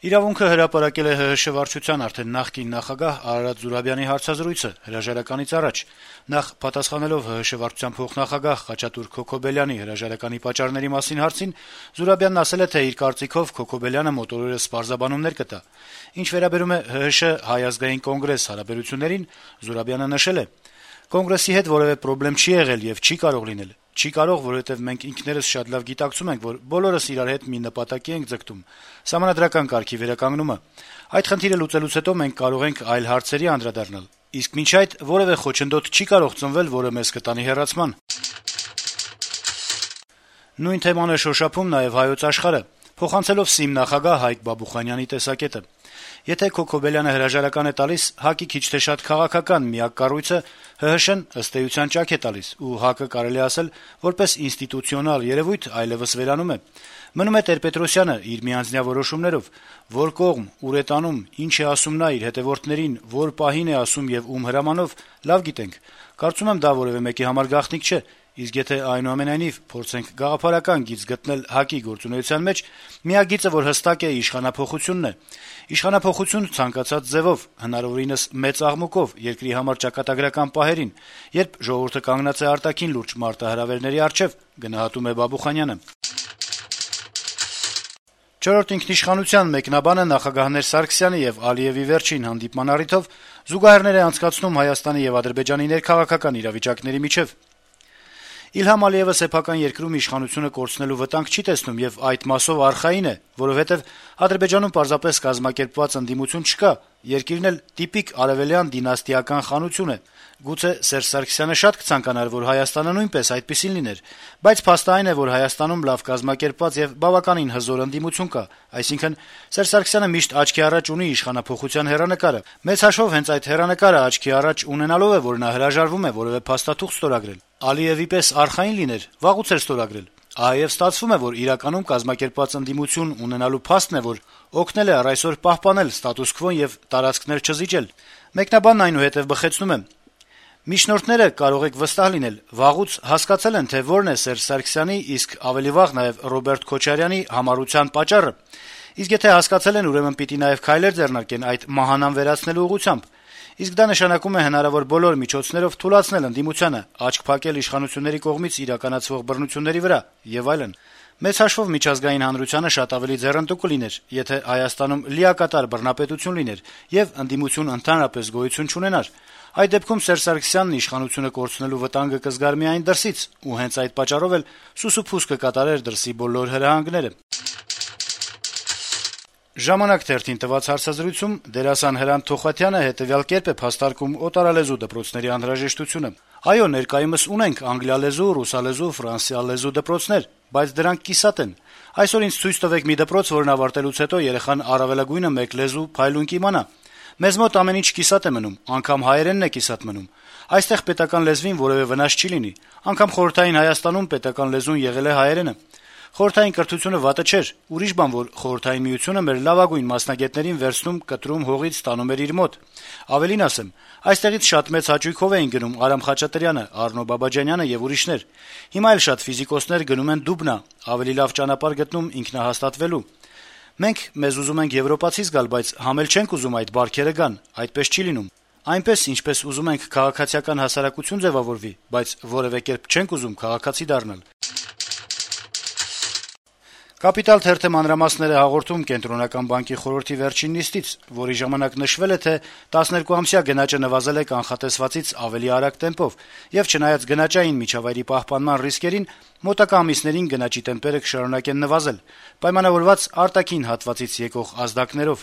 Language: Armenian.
«Իրավունք»-ը հրապարակել է ՀՀՇ վարչության արդեն նախկին նախագահ Արարատ Զուրաբյանի հարցազրույցը հրաժարականից առաջ: Նախ պատասխանելով ՀՀՇ վարչության փոխնախագահ Խաչատուր Քոքոբելյանի հրաժարականի պատճառների մասին հարցին, Զուրաբյանն ասել է, թե իր կարծիքով Քոքոբելյանը մոտորորս պարզաբանումներ կտա: Ինչ վերաբերում է ՀՀՇ Հայ ազգային կոնգրես հարաբերություններին, Զուրաբյանը նշել է. - «Կոնգրեսի հետ որեւէ պրոբլեմ չի եղել եւ չի կարող լինել: Չի կարող, որովհետեւ մենք ինքներս շատ լավ գիտակցում ենք, որ բոլորս իրար հետ մի նպատակի ենք ձգտում` սահմանադրական կարգի վերականգնումը: Այդ խնդիրը լուծելուց հետո մենք կարող ենք այլ հարցերի անդրադառնալ: Իսկ մինչ այդ որեւէ խոչընդոտ չի կարող ծնվել, որը մեզ կտանի հեռացման»: Նույն թեման է շոշափում նաեւ «Հայոց Աշխարհ»-ը, փոխանցելով ՍԻՄ նախագահ Հայկ Բաբուխանյանի տեսակետը. - «Եթե Քոքոբելյանը հրաժարական է տալիս, ՀԱԿ-ի քիչ թե շատ քաղաքական միակ կառույցը ՀՀՇ-ն ըստ էության ճաք է տալիս, ու ՀԱԿ-ը, կարելի է ասել, որպես ինստիտուցիոնալ երեւույթ այլեւս վերանում է: Մնում է Տեր-Պետրոսյանը իր միանձնյա որոշումներով: Որ կողմ, ուր է տանում, ինչ է ասում նա իր հետեւորդներին, որ պահին է ասում եւ ում հրամանով, լավ գիտենք: Կարծում եմ, դա որեւէ մեկի համար գաղտնիք չէ: Իսկ եթե, այնուամենայնիվ, փորձենք գաղափարական գիծ գտնել ՀԱԿ-ի գործունեության մեջ, միակ գիծը, որ հստակ է, իշխանափոխությունն է: Իշխանափոխություն ցանկացած ձեւով, հնարավորինս մեծ աղմուկով, երկրի համար ճակատագրական պահերին, երբ ժողովուրդը կանգնած է արտաքին լուրջ մարտահրավերների առջեւ»: «Չորրորդ ինքնիշխանության» մեկնաբանը նախագահներ Սարգսյանի եւ Ալիեւի վերջին հանդիպման առիթով զուգահեռներ է անցկացնում Հայաստանի եւ Ադրբեջանի ներքաղաքական իրավիճակների միջեւ. - «Իլհամ Ալիեւը սեփական երկրում իշխանությունը կորցնելու վտանգ չի տեսնում եւ այդ մասով արխային է, որովհետեւ Ադրբեջանում պարզապես կազմակերպված ընդդիմություն չկա, երկիրն էլ տիպիկ արեւելյան դինաստիական խանություն է: Գուցե Սերժ Սարգսյանը շատ կցանկանար, որ Հայաստանը նույնպես այդպիսին լիներ, բայց փաստը այն է, որ Հայաստանում լավ կազմակերպված եւ բավականին հզոր ընդդիմություն կա, այսինքն Սերժ Սարգսյանը միշտ աչքի առաջ ունի իշխանափոխության հեռանկարը: Մեծ հաշվով հենց այդ հեռանկարը աչքի առաջ ունենալով է, որ նա հրաժարվում է որեւէ փաստաթուղթ ստորագրել: Ալիեւի պես արխային լիներ, վաղուց էր ստորագրել: Ահա եւ ստացվում է, որ իրականում կազմակերպված ընդդիմություն ունենալու փաստն է, որ օգնել է առ այսօր պահպանել ստատուս քվոն եւ տարածքներ չզիջել»: Մեկնաբանն այնուհետեւ բխեցնում է. - «Միջնորդները, կարող եք վստահ լինել, վաղուց հասկացել են, թե որն է Սերժ Սարգսյանի, իսկ ավելի վաղ նաեւ Ռոբերտ Քոչարյանի համառության պատճառը: Իսկ եթե հասկացել են, ուրեմն պիտի նաեւ քայլեր ձեռնարկեն այդ մահանան վերացնելու ուղղությամբ: Իսկ դա նշանակում է հնարավոր բոլոր միջոցներով թուլացնել ընդդիմությանը, աչք փակել իշխանությունների կողմից իրականացվող բռնությունների վրա եւ այլն: Մեծ հաշվով միջազգային հանրությանը շատ ավելի ձեռնտու կլիներ, եթե Հայաստանում լիակատար բռնապետություն լիներ եւ ընդդիմություն ընդհանրապես գոյություն չունենար: Այդ դեպքում Սերժ Սարգսյանն իշխանությունը կորցնելու վտանգը կզգար միայն դրսից, ու հենց այդ պատճառով էլ սուսուփուս կկատարեր դրսի բոլոր հրահանգները»: «Ժամանակ» թերթին տված հարցազրույցում դերասան Հրանտ Թոխաթյանը հետեւյալ կերպ է փաստարկում օտարալեզու դպրոցների անհրաժեշտությունը. - «Այո, ներկայումս ունենք անգլիալեզու, ռուսալեզու, ֆրանսիալեզու դպրոցներ, բայց դրանք կիսատ են: Այսօր ինձ ցույց տվեք մի դպրոց, որն ավարտելուց հետո երեխան առավելագույնը մեկ լեզու փայլուն կիմանա: Մեզ մոտ ամեն ինչ կիսատ է մնում, անգամ հայերենն է կիսատ մնում: Այստեղ պետական լեզվին որեւէ վնաս չի լինի: Անգամ Խորհրդային Հայաստանում պետական լեզուն եղել է հայերենը: Խորհրդային կրթությունը վատը չէր, ուրիշ բան, որ Խորհրդային Միությունը մեր լավագույն մասնագետներին վերցնում, կտրում, հողից տանում էր իր մոտ: Ավելին ասեմ, այստեղից շատ մեծ հաճույքով էին գնում Արամ Խաչատրյանը, Առնո Բաբաջանյանը եւ ուրիշներ: Հիմա էլ շատ ֆիզիկոսներ գնում են Դուբնա, ավելի լավ ճանապարհ գտնում ինքնահաստատվելու: Մենք մեզ ուզում ենք եվրոպացի զգալ, բայց համ էլ չենք ուզում այդ բարքերը գան: Այդպես չի լինում: Այնպես, ինչպես ուզում ենք քաղաքացիական հասարակություն ձեւավորվի, բայց որեւէ կերպ չենք ուզում քաղաքացի դառնալ»: «Կապիտալ» թերթը մանրամասներ է հաղորդում Կենտրոնական բանկի խորհրդի վերջին նիստից, որի ժամանակ նշվել է, թե 12-ամսյա գնաճը նվազել է կանխատեսվածից ավելի արագ տեմպով, եւ չնայած գնաճային միջավայրի պահպանման ռիսկերին, մոտակա ամիսներին գնաճի տեմպերը կշարունակեն նվազել` պայմանավորված արտաքին հատվածից եկող ազդակներով: